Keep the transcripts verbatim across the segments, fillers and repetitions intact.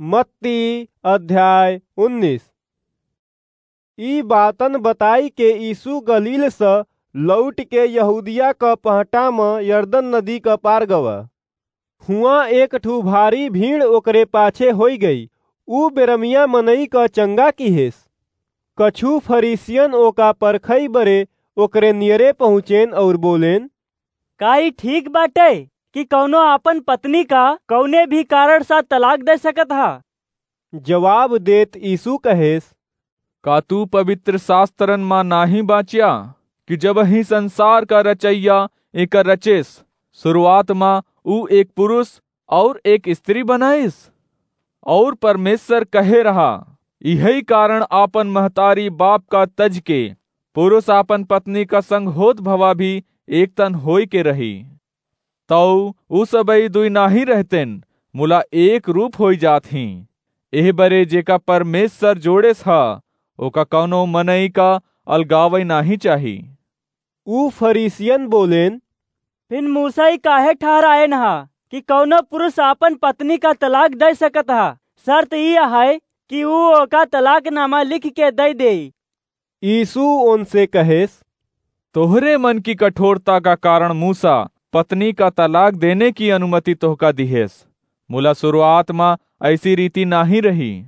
मत्ती अध्याय उन्नीस। ई बातन बताई के यीशु गलील स लौट के यहूदिया क पहटा म यरदन नदी क पार गवा। हुआं एक ठू भारी भीड़ ओकरे पाछे होई गई। ऊ बेरमिया मनई क चंगा किहेस। कछु फरीसियन ओका परखई बरे ओकरे नियरे पहुँचेन और बोलेन, "का ई ठीक बाटे कि कौनो आपन पत्नी का कौने भी कारण सा तलाक दे सकत हा?" जवाब देत यीशु कहेस, "का तू पवित्र शास्त्रन मा नाही बाँच्या कि जबहीं संसार का रचइया एकर रचेस, शुरुआत मा ऊ एक पुरुष और एक स्त्री बनाइस? और परमेश्वर कहे रहा, इहई कारण आपन महतारी बाप का तज के पुरुष आपन पत्नी का संग होत भवा भी एक तन होई के रही। तौ उ सबई दुई नाही रहतेन, मुला एक रूप होई जात हीं। एह बरे जेका परमेश्वर जोड़ेस ह, ओका कौनो मनई का अलगावई नाही चाही।" उ फरीसियन बोलेन, "फिन मूसा ई काहे ठहरायन हा कि कौनो पुरुष आपन पत्नी का तलाक दे सकत हा? शर्त ई आहे कि ऊ ओका तलाकनामा लिख के दे देई।" यीशु उनसे कहेस, "तोहरे मन की कठोरता का कारण मूसा पत्नी का तलाक देने की अनुमति तोहका दिहेस, मुला शुरुआत मा ऐसी रीति नाही रही।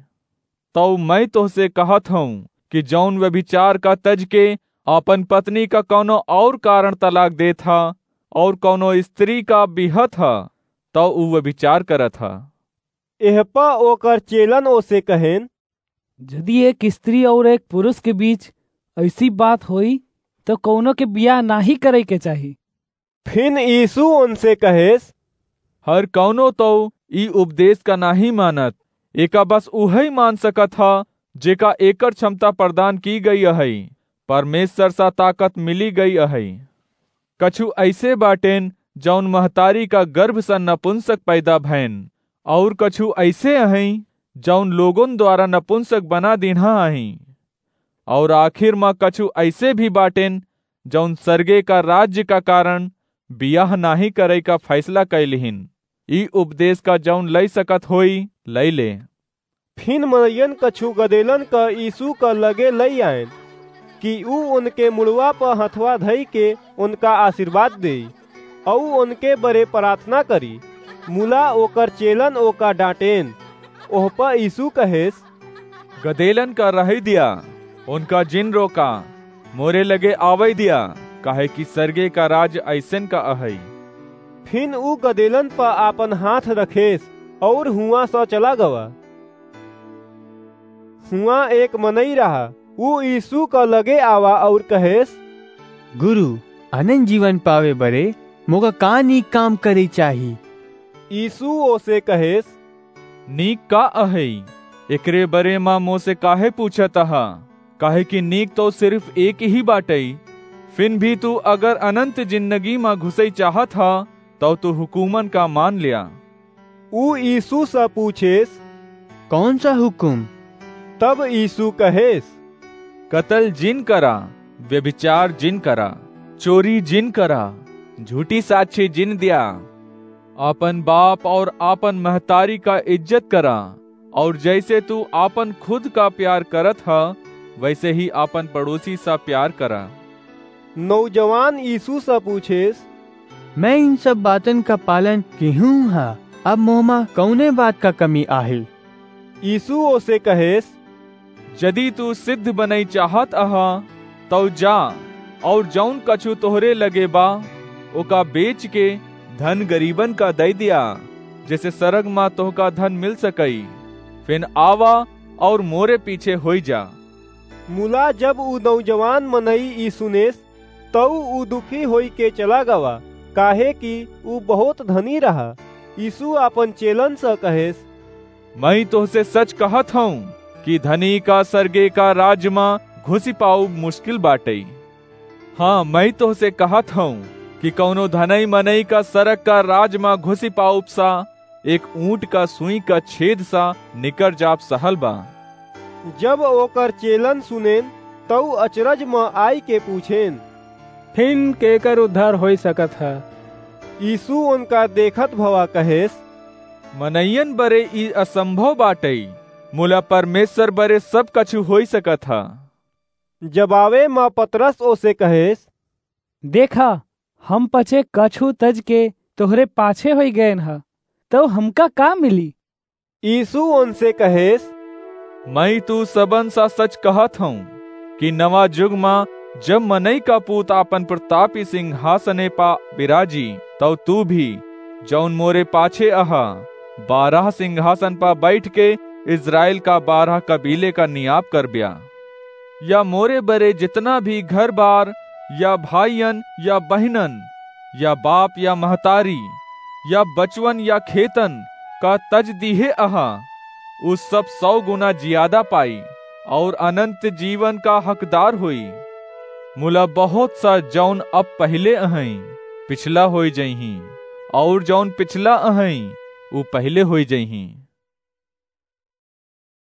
तौ मैं तोहसे कहत हूँ कि जौन व्यभिचार का तज के आपन पत्नी का कौनो और कारण तलाक देत हा और कौनो स्त्री का बिहत हा, तौ ऊ व्यभिचार करत हा।" एह प ओकर चेलन ओसे कहेन, "जदि एक स्त्री और एक पुरुष के बीच ऐसी बात होई, तो कौनो के बियाह नाही करे के चाही।" फिन यीशु उनसे कहेस, "हर कौनो तो ई उपदेश का नाही मानत, एका बस उहई मान सकत हा, जेका एकर क्षमता प्रदान की गई अहई, परमेश्वर सा ताकत मिली गई अहई। कछु ऐसे बाटेन, जौन महतारी का गर्भ सा नपुंसक पैदा भैन, और कछु ऐसे अहई, जौन लोगन द्वारा नपुंसक बना दीन्हा अहई, और आखिर मा कछु ऐसे भी बाटेन, जौन सरगे का राज्य का कारण बियाह नाही करे का फैसला कै लिहिन। ई उपदेश का जौन लई सकत होई, लई ले।" फिन मनइयन कछु गदेलन क यीशु क लगे लई आएन, कि ऊ उनके मुड़वा प हथवा धई के उनका आशीर्वाद देई, अऊ उनके बरे प्रार्थना करी। मुला ओकर चेलन ओका डांटेन। ओह प यीशु कहेस, "गदेलन का रहई दिया, उनका जिन रोका, मोरे लगे आवई दिया, काहे कि सरगे का राज अइसन का अहई।" फिन ऊ गदेलन प आपन हाथ रखेस, और हुआं स चला गवा। हुआं एक मनई रहा, ऊ यीशु क लगे आवा और कहेस, "गुरु, अनंत जीवन पावे बरे मोका का नीक काम करे चाही?" यीशु ओसे कहेस, "नीक का अहई, एकरे बरे मा मोसे काहे पूछत अहा? काहे कि नीक तो सिर्फ एक ही बाटई। फिन भी तू अगर अनंत जिंदगी मा घुसई चाहत हा, तौ तू हुकूमन का मान ल्या।" ऊ यीशु स पूछेस, "कौन सा हुकुम?" तब यीशु कहेस, "कतल जिन करा, व्यभिचार जिन करा, चोरी जिन करा, झूठी साक्षी जिन द्या, आपन बाप और आपन महतारी का इज्जत करा, और जैसे तू आपन खुद का प्यार करत ह, वैसे ही आपन पड़ोसी सा प्यार करा।" नौजवान यीशु स पूछेस, "मैं इन सब बातन का पालन किहूँ हा, अब मोहमा कौने बात का कमी आहे?" यीशु ओसे कहेस, "जदि तू सिद्ध बनई चाहत अहा, तौ जा और जौन कछु तोहरे लगे बा, ओका बेच के धन गरीबन का दई दिया, जैसे सरग मा तोहका धन मिल सकई। फिन आवा और मोरे पीछे होई जा।" मुला जब ऊ नौजवान मनई ई सुनेस, तऊ ऊ दुखी होई के चला गवा, काहे कि ऊ बहुत धनी रहा। यीशु आपन चेलन स कहेस, "मैं तोहसे सच कहत हूँ कि धनी का सरगे का राज मा घुसी पाउब मुश्किल बाटई। हाँ, मैं तोहसे कहत हूँ कि कौनो धनई मनई का सरग का राज मा घुसी पाउब सा एक ऊंट का सुई का छेद सा निकर जाब सहल बा।" जब ओकर चेलन सुनेन, तऊ अचरज म आई के पूछेन, "फिन केकर उद्धार होई सकत ह?" यीशु उनका देखत भवा कहेस, मनइयन बरे ई असंभव बाटइ, मुला परमेश्वर बरे सब कछु होइ सकत ह। जबावे म पतरस ओसे कहेस, देखा, हम पछे कछु तज के तोहरे पाछे होइ गएन ह, तउ हमका का मिली? यीशु ओनसे कहेस, मई तू सबन सा सच कहत हऊँ कि नवा जुग म जब मनई का पूत आपन प्रतापी सिंहासने पा बिराजी, तउ तू भी, जौन मोरे पाछे अहा, बारह सिंहासन पा बैठ के इस्राएल का बारह कबीले का नियाप करब्या। या मोरे बरे जितना भी घर बार, या भाइयन, या बहिनन, या बाप, या महतारी, या बचवन, या खेतन का तज दीहे अहा, उ सब सौ गुना जियादा पाई, और अनंत जीवन का हकदार होई। मुला बहुत सा जौन अब पहिले अहई, पिछला होई जइहीं, और जौन पिछला अहई, उ पहिले होई जइहीं।